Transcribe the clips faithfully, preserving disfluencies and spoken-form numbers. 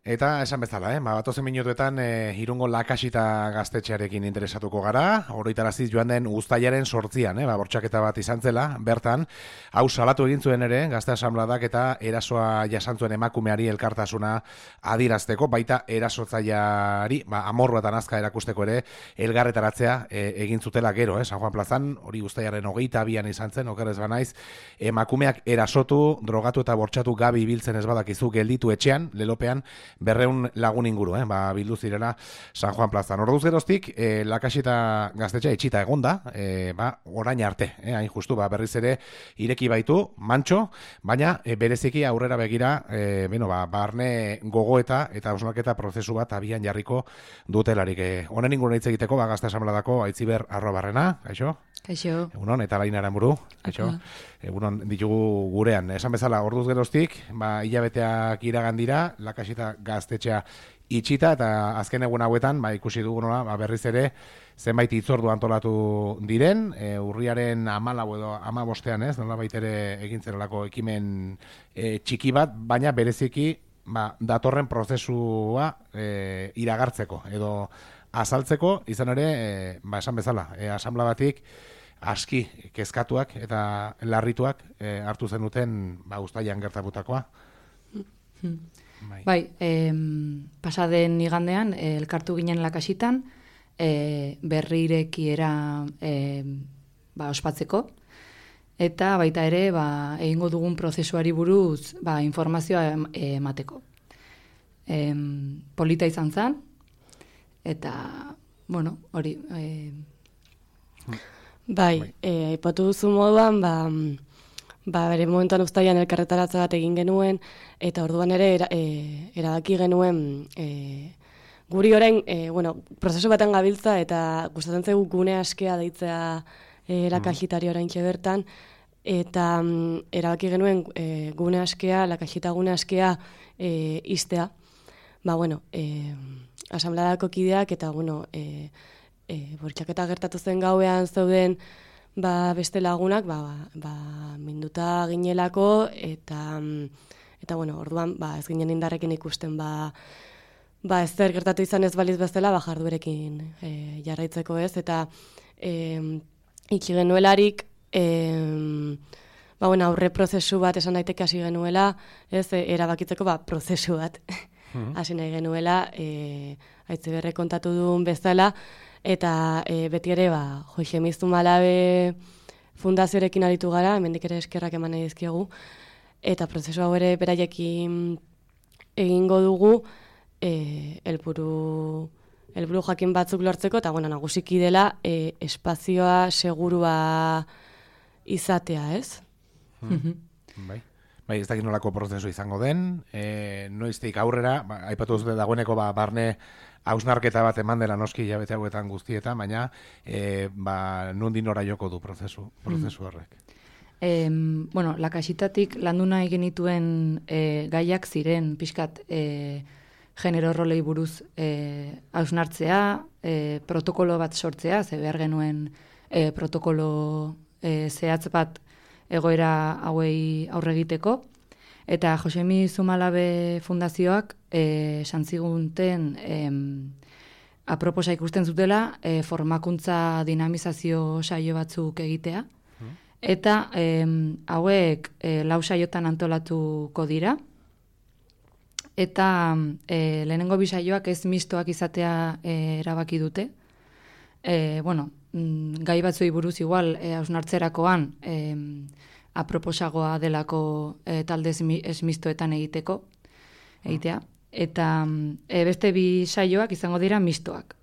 Eta esan bezala, eh? ba, batozen minutuetan e, Irungo Lakasita gaztetxearekin interesatuko gara, oroitaraziz joan den uztailaren sortzian, eh? ba, bortxaketa bat izan zela, bertan, hau salatu egin zuen ere, gazte asanbladak eta erasoa jasantzuen emakumeari elkartasuna adirazteko, baita erasotzaileari, ba, amorru eta nazka erakusteko ere, elgarretaratzea e, egin zutela gero, eh? San Juan plazan, hori uztailaren hogeita abian izan zen, okerrez banaiz, emakumeak erasotu, drogatu eta bortxatu gabi biltzen ez badakizu gelditu etxean, lelopean, berreun lagun inguru, eh? ba, bildu zirela San Juan plazan. Orduz geroztik, eh, Lakasita gaztetxea itxita egonda, eh, ba, orain arte, eh? hain justu, ba, berriz ere ireki baitu, mantxo, baina e, bereziki aurrera begira, eh, beno, ba, barne gogoeta eta hausnarketa prozesu bat abian jarriko dutelarik. Eh, honen inguruen hitz egiteko, ba, gazte asanbladako aitziber arroa barrena, kaixo? Kaixo. Egunon, eta Laina Aranburu, kaixo? Egunon ditugu gurean. Esan bezala, orduz geroztik, ba, hilabeteak iragan dira, Lakasita gaztetxea itxita, eta azken egun hauetan, ba, ikusi dugu nola, ba, berriz ere, zenbait hitzordu antolatu diren, e, urriaren amalau edo amabostean, ez, nola baitere egin zerelako ekimen e, txiki bat, baina bereziki, ba, datorren prozesua e, iragartzeko, edo azaltzeko, izan ere, e, ba, esan bezala, e, asanbla batik, aski kezkatuak eta larrituak e, hartu zenuten ba, uztailan gertatutakoa. Bai, bai eh, pasaden igandean, eh, elkartu ginen Lakasitan, eh, berri irekiera eh, ba, ospatzeko, eta baita ere ba, egingo dugun prozesuari buruz ba, informazioa emateko. Eh, polita izan zen, eta, bueno, hori... Eh, Bai, aipatu duzu moduan, ba, ba, bere momentuan uztailan elkarretaratze bat egin genuen, eta orduan ere era, e, erabaki genuen e, guri orain, e, bueno, prozesu baten gabiltza, eta gustatzen zaigu gune askea deitzea e, Lakasitari oraintxe bertan, eta mm, erabaki genuen e, gune askea, Lakasita gune askea e, iztea. Ba, bueno, e, asanbladako kideak, eta, bueno, e, E, bortxaketa gertatu zen gauean zeuden ba, beste lagunak ba, ba, minduta ginelako eta, eta bueno, orduan ba, ez ginen indarrekin ikusten ba, ba, ez zer gertatu izan ez baliz bezala ba, jarduerekin e, jarraitzeko ez eta e, iki genuelarik e, ba, bueno, aurre prozesu bat esan daiteke hasi genuela ez e, erabakitzeko ba, prozesu bat hasi nahi genuela e, Aitziberre kontatu duen bezala eta e, beti ere, ba, Joxe Zumalabe fundazioarekin aritu gara, hemendik ere eskerrak eman nahi dizkiegu, eta prozesu hau ere beraiekin egingo dugu, e, elburu, elburu jakin batzuk lortzeko, eta bueno, nagusiki dela e, espazioa segurua izatea, ez? Hmm. Bai. Bai, ez dakit nolako prozesu izango den, e, noiztik aurrera, ba, aipatu zute dagoeneko ba, barne hausnarketa bat eman dela noski hilabete hauetan guztietan, baina e, ba, nondin nora joko du prozesu, prozesu horrek. E, bueno, Lakasitatik landu nahi genituen e, gaiak ziren pixkat e, genero rolei buruz e, hausnartzea, e, protokolo bat sortzea, ze behar genuen e, protokolo e, zehatz bat egoera hauei aurre egiteko, eta Josemi Zumalabe fundazioak esan zigunten aproposa ikusten zutela e, formakuntza dinamizazio saio batzuk egitea, hmm. eta e, hauek e, lau saiotan antolatuko dira, eta e, lehenengo bi saioak ez mistoak izatea e, erabaki dute, e, bueno, gai batzuei buruz igual hausnartzerakoan e, aproposagoa delako e, talde esmistoetan egiteko, egitea. Eta e, beste bi saioak izango dira mistoak.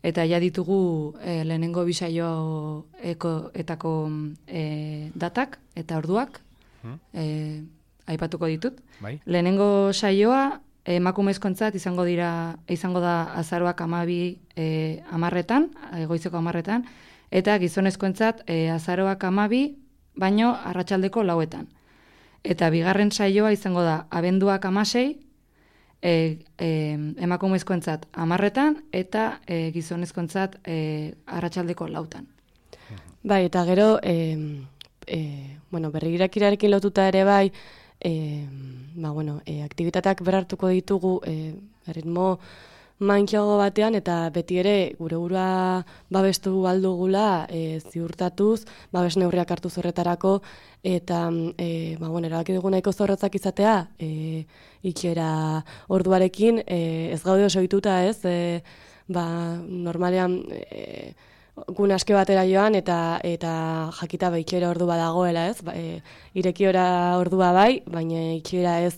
Eta ja ditugu e, lehenengo bi saioetako e, datak eta orduak, e, aipatuko ditut. Bai. Lehenengo saioa emakumezkoentzat izango dira izango da azaroak hamabi e, hamarretan, goizeko hamarretan, eta gizonezkoentzat e, azaroak hamabi, baino arratsaldeko lauetan. Eta bigarren saioa izango da abenduak hamasei, e, e, emakumezkoentzat hamarretan, eta e, gizonezkoentzat e, arratsaldeko lautan. Bai, eta gero, e, e, bueno, berrigirakirarekin lotuta ere bai, e, ba, bueno, e, aktibitateak berartuko ditugu e, ritmo mankiago batean, eta beti ere gure burua babestu aldugula e, ziurtatuz, babes neurriak hartu zorretarako, eta e, ba, bueno, erabaki dugu nahiko zorrotzak izatea, e, itxiera orduarekin, e, ez gaude oso ohituta, ez, e, ba, normalean e, gun aske batera joan, eta eta jakita ba, itxiera ordu badagoela, ez, ba, e, irekiora ordua bai, baina itxiera ez.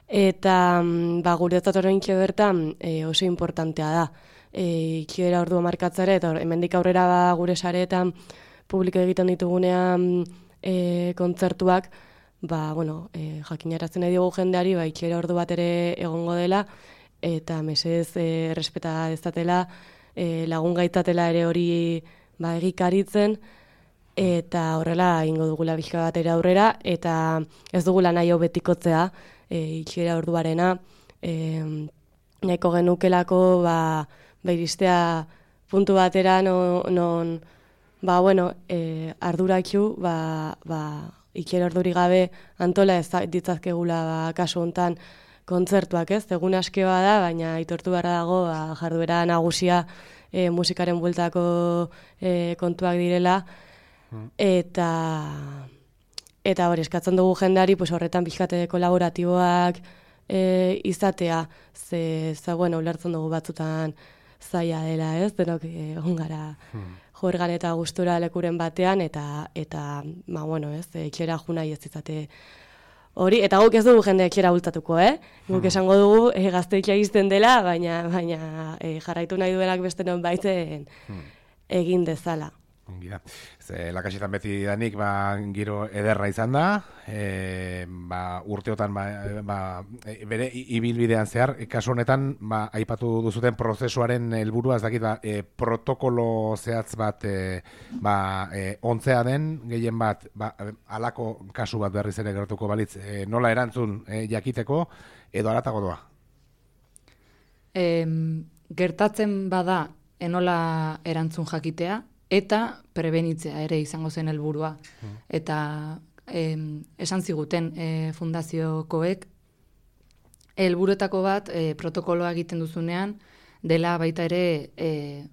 Eta ba, guretzat oraintxe bertan e, oso importantea da. E, itxiera ordua markatzare, eta hemendik aurrera ba, gure sareetan publiko egiten ditugunean e, kontzertuak, ba, bueno, e, jakinarazten nahi dugu jendeari, ba, itxiera ordu bat ere egongo dela, eta mesedez e, errespeta dezatela, e, lagun gaitatela ere hori ba, egikaritzen, eta horrela ingo dugula bizka batera aurrera, eta ez dugula nahi hau betikotzea, E, itxiera orduarena, e, nahiko genukelako ba, iristea puntu batera non, non ba, bueno, e, arduratxu ba, ba, itxiera orduri gabe antola ez ditzazkegula ba, kasu hontan kontzertuak, ez? Egun aske bada, baina aitortu beharra dago ba, jarduera nagusia e, musikaren bueltako e, kontuak direla, eta Eta hori, eskatzen dugu jendeari, pues, horretan pixkate kolaboratiboak e, izatea, ze, ze, bueno, ulertzen dugu batzutan zaila dela, ez? Denok egon gara hmm. jorgan eta gustura lekuren batean, eta, eta ba, bueno, ez, etxera juna ez izate hori, eta guk ez dugu jende etxera bultatuko, eh? Guk hmm. esango dugu e, gaztetxea izten dela, baina, baina e, jarraitu nahi duenak beste non baiten hmm. egin dezala. Gira. Ze, lakasitan beti danik ba, giro ederra izan da, e, ba, urteotan ba, ba, bere ibilbidean zehar, kasu honetan ba, aipatu duzuten prozesuaren helburua ez dakit, ba, e, protokolo zehatz bat e, ba, e, ontzea den, gehien bat, ba, alako kasu bat berriz ere gertuko balitz, e, nola erantzun e, jakiteko, edo aratago doa? E, gertatzen bada, enola erantzun jakitea, eta prebenitzea ere izango zen helburua. Mm. Eta eh, esan ziguten eh, fundaziokoek, helburuetako bat eh, protokoloa egiten duzunean, dela baita ere eh,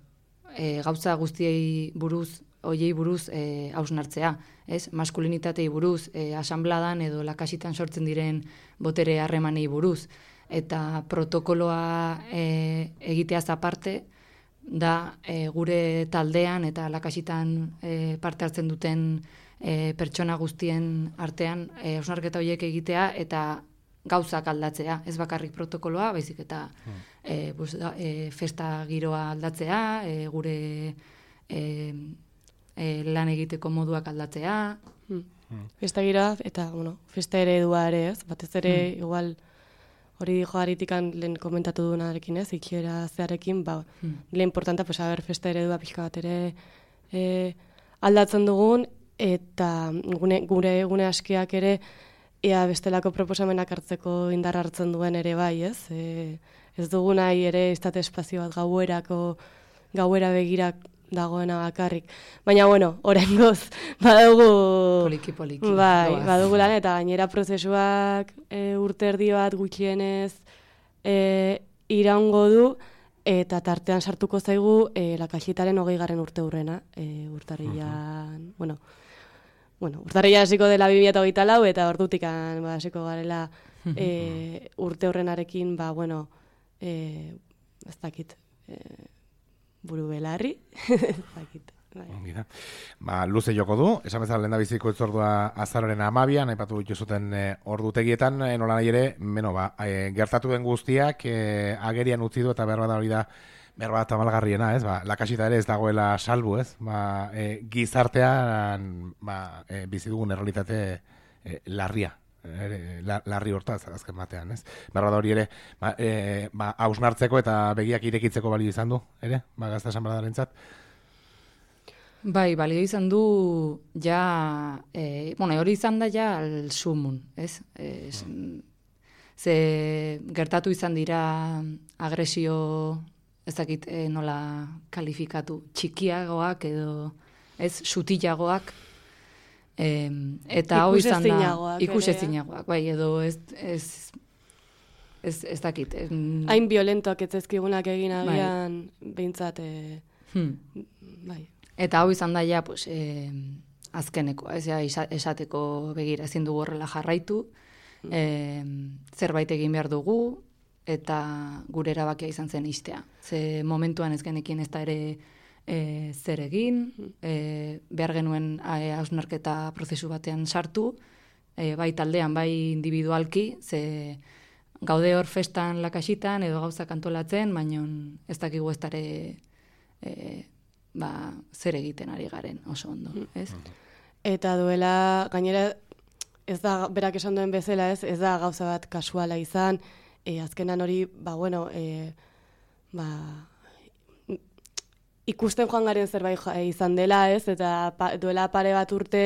eh, gauza guztiei buruz, hoiei buruz eh, hausnartzea. Ez? Maskulinitatei buruz, eh, asambladan edo lakasitan sortzen diren botere harremanei buruz. Eta protokoloa eh, egiteaz aparte, da e, gure taldean eta lakasitan e, parte hartzen duten e, pertsona guztien artean e, hausnarketa horiek egitea eta gauzak aldatzea, ez bakarrik protokoloa, baizik eta hmm. e, bus, da, e, festa giroa aldatzea, e, gure e, e, lan egiteko moduak aldatzea. Hmm. Hmm. Festa giroa eta bueno, festa eredua ere, ez? Batez ere hmm. igual hori joaritikan lehen komentatu duenarekin, ez, ikiera zearekin, ba, hmm. lehen importanta, pues, haber festa eredua pixka bat ere e, aldatzen dugun, eta gune, gure gune askiak ere, ea bestelako proposamenak hartzeko indar hartzen duen ere bai, ez? E, ez dugu nahi ere estate espazio bat gauerako, gauera begirak dagoena bakarrik. Baina, bueno, oraingoz badugu... Poliki, poliki. Bai, doaz. Badugu lan, eta gainera prozesuak e, urte erdi bat gutxienez e, iraungo du, eta tartean sartuko zaigu e, lakasitaren hogei garren urte hurrena, e, urtarrilan, uh-huh. bueno, bueno, urtarrilan hasiko dela bi mila hogeita lau, eta ordutikan ba, hasiko garela e, urte hurrenarekin, ba, bueno, e, ez dakit, e, buru belarri, ez dakit. Bai. Ba, luze joko du, esan bezala lehen da biziko itzordua azaroren amabian, aipatu dituzuten e, ordutegietan, e, nola nahi ere, beno, ba, e, gertatu den guztiak e, agerian utzi du eta behar bat hori da, behar bat tamalgarriena, ez, ba, lakasita ere ez dagoela salbu, ez, ba, e, gizartean ba, e, bizi dugun errealitate e, larria. Ere, la, larri hortaz, azken batean, ez? Berra da hori ere, ba, e, ba, hausnartzeko eta begiak irekitzeko balio izan du, ere? Ba, Gazta Asanbladarentzat. Bai, balio izan du, ja, e, bueno, hori izan da ja al sumun, ez? E, mm. Ze gertatu izan dira agresio, ez dakit e, nola kalifikatu, txikiagoak edo, ez, sutilagoak, E, eta hau izan da ikusezinagoak, bai, edo ez, ez, ez, ez dakit. Hain violentoak ez ezkigunak egin agian, bai. Behintzat, e, hmm. bai. Eta hau izan da ja, pues, e, azkeneko, ez ja, esateko begira, ezin dugu horrela jarraitu, e, zerbait egin behar dugu, eta gure erabakia izan zen istea. Ze momentuan ez genekin ez da ere e, zer egin, e, behar genuen hausnarketa prozesu batean sartu, e, bai taldean, bai individualki, ze gaude hor festan lakasitan edo gauzak antolatzen, baina ez dakigu ez dare e, ba, zer egiten ari garen oso ondo, ez? Eta duela, gainera, ez da, berak esan duen bezala, ez, ez da gauza bat kasuala izan, e, azkenan hori, ba, bueno, e, ba, ikusten joan garen zerbait izan dela, ez, eta pa, duela pare bat urte,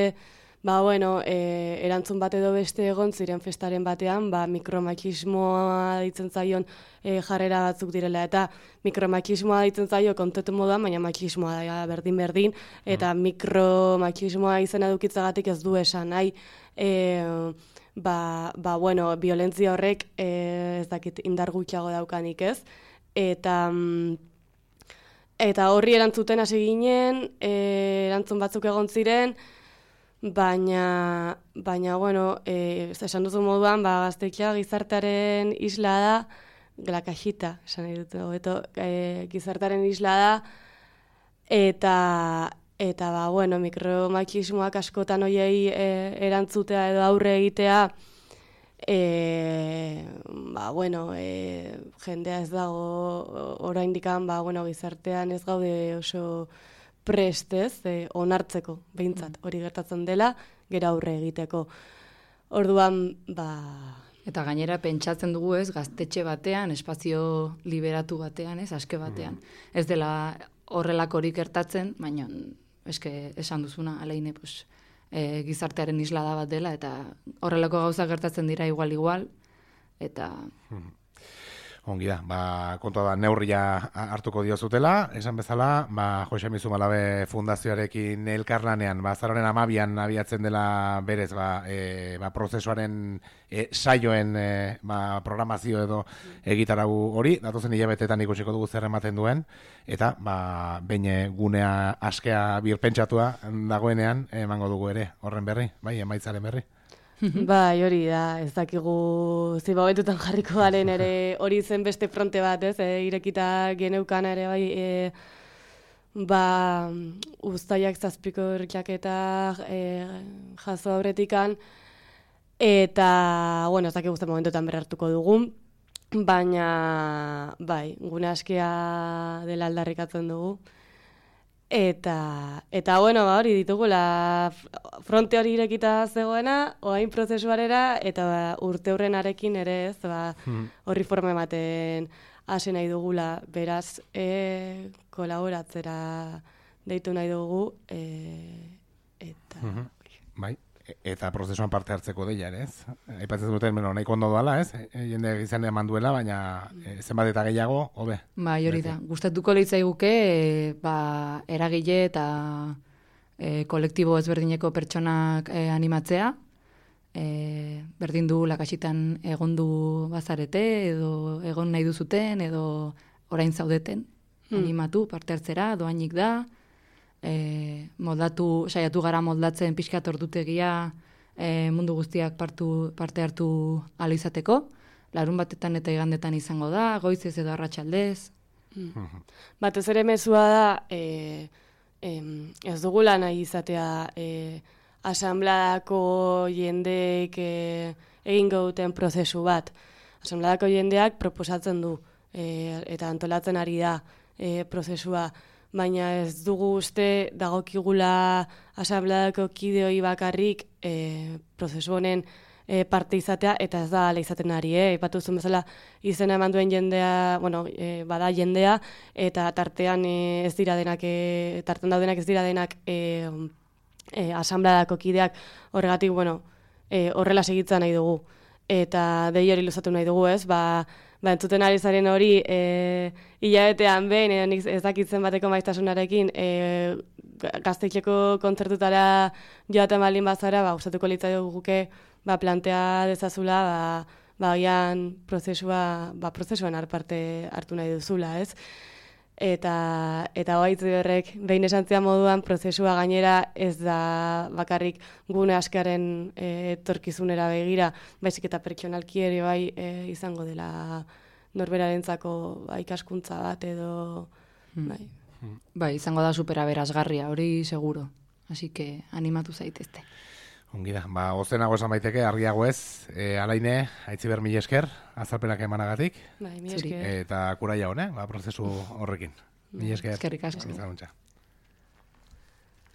ba, bueno, e, erantzun bat edo beste egon ziren festaren batean, ba, mikromakismoa ditzen zaion e, jarrera batzuk direla, eta mikromakismoa ditzen zaio kontetu moduan, baina makismoa da berdin-berdin, eta mm. mikromakismoa izena dukitzagatik ez du esan nahi, e, ba, ba, bueno, violentzia horrek e, ez dakit indar gutxiago daukanik ez, eta... Eta horri erantzuten hasi ginen, e, erantzun batzuk egon ziren, baina, baina bueno, e, esan duzu moduan, ba, Gaztetxea gizartearen isla da, la cajita, esan dut, hobeto, e, gizartearen isla da, eta, eta ba, bueno, mikromakismoak askotan hoiei e, erantzutea edo aurre egitea, E, ba, bueno, e, jendea ez dago oraindikan, ba, bueno, gizartean ez gaude oso prestez, e, onartzeko, behintzat, hori gertatzen dela, gero aurre egiteko. Orduan, ba... Eta gainera pentsatzen dugu ez, gaztetxe batean, espazio liberatu batean, ez, aske batean. Mm. Ez dela horrelakorik gertatzen, baina eske esan duzuna, alaine, pues... E, gizartearen isla da bat dela, eta horrelako gauza gertatzen dira igual-igual, eta... Ongi da, ba, kontua da, neurria hartuko diozutela, esan bezala, ba, Jose Mizu Malabe Fundazioarekin elkarlanean, ba, azaroren amabian abiatzen dela berez, ba, e, ba, prozesuaren e, saioen e, ba, programazio edo egitarau hori, datozen hilabetetan ikusiko dugu zer ematen duen, eta, ba, behin gunea askea birpentsatua dagoenean, emango dugu ere, horren berri, bai, emaitzaren berri. Bai, hori da, ez dakigu zibabetutan jarriko garen ere hori zen beste fronte bat, ez, e, irekita geneukan ere, bai, e, ba, uztaiak zazpiko erkiaketa e, jaso aurretikan, eta, bueno, ez dakigu zen momentuetan berrartuko dugu, baina, bai, gune askia dela aldarrikatzen dugu. Eta, eta bueno, ba, hori ditugula fronte hori irekita zegoena, oain prozesuarera, eta ba, urte hurrenarekin ere ez, ba, horri forma ematen hasi nahi dugula, beraz, e, kolaboratzera deitu nahi dugu, e, eta... Mm-hmm. Bai, eta prozesuan parte hartzeko deia ere, ez? Aipatzen duten, bueno, nahiko ondo dala, ez? E, jende izan eman duela, baina e, zenbat eta gehiago, hobe. Bai, hori da. Gustatuko litzaiguke, e, ba, eragile eta e, kolektibo ezberdineko pertsonak e, animatzea. E, berdin du lakasitan egondu bazarete, edo egon nahi duzuten, edo orain zaudeten. Hmm. Animatu, parte hartzera, doainik da. E, moldatu, saiatu gara moldatzen pixkat ordutegia e, mundu guztiak partu, parte hartu ahal izateko. Larun batetan eta igandetan izango da, goizez edo arratsaldez. Mm. Batez ere mezua da, e, e, ez dugula nahi izatea e, asambladako jendeek e, egingo duten prozesu bat. Asambladako jendeak proposatzen du e, eta antolatzen ari da e, prozesua. Baina ez dugu uste dagokigula asambladako kideoi bakarrik e, prozesu honen e, parte izatea, eta ez da ala izaten ari, eh? Ipatu zuen bezala izena eman duen jendea, bueno, e, bada jendea, eta tartean e, ez dira denak, e, tartean daudenak ez dira denak e, e, asambladako kideak, horregatik, bueno, e, horrela segitzen nahi dugu. Eta dei hori luzatu nahi dugu, ez? Ba, ba, entzuten ari zaren hori, e, hilabetean behin, edo nik ez dakitzen bateko maiztasunarekin, e, gaztetxeko kontzertutara joaten baldin bazara, ba, gustatuko litzaioke guke, ba, plantea dezazula, ba, ba, gian prozesua, ba, prozesuan parte hartu nahi duzula, ez? Eta, eta hoaitz berrek, behin esantzian moduan, prozesua gainera ez da bakarrik gune askaren e, etorkizunera begira, baizik eta pertsonalki ere bai e, izango dela norberarentzako ba, ikaskuntza bat edo... Hmm. Bai. Bai, izango da superaberazgarria, hori seguro. Así que animatu zaitezte. Ongi da, ba, ozenago esan baiteke, argiago ez, e, Alaine, Aitziber mila esker, azalpenak emanagatik. Bai, mila esker. Eta kuraia hone, ba, prozesu horrekin. Mila esker. Eskerrik asko. Ezaguntza.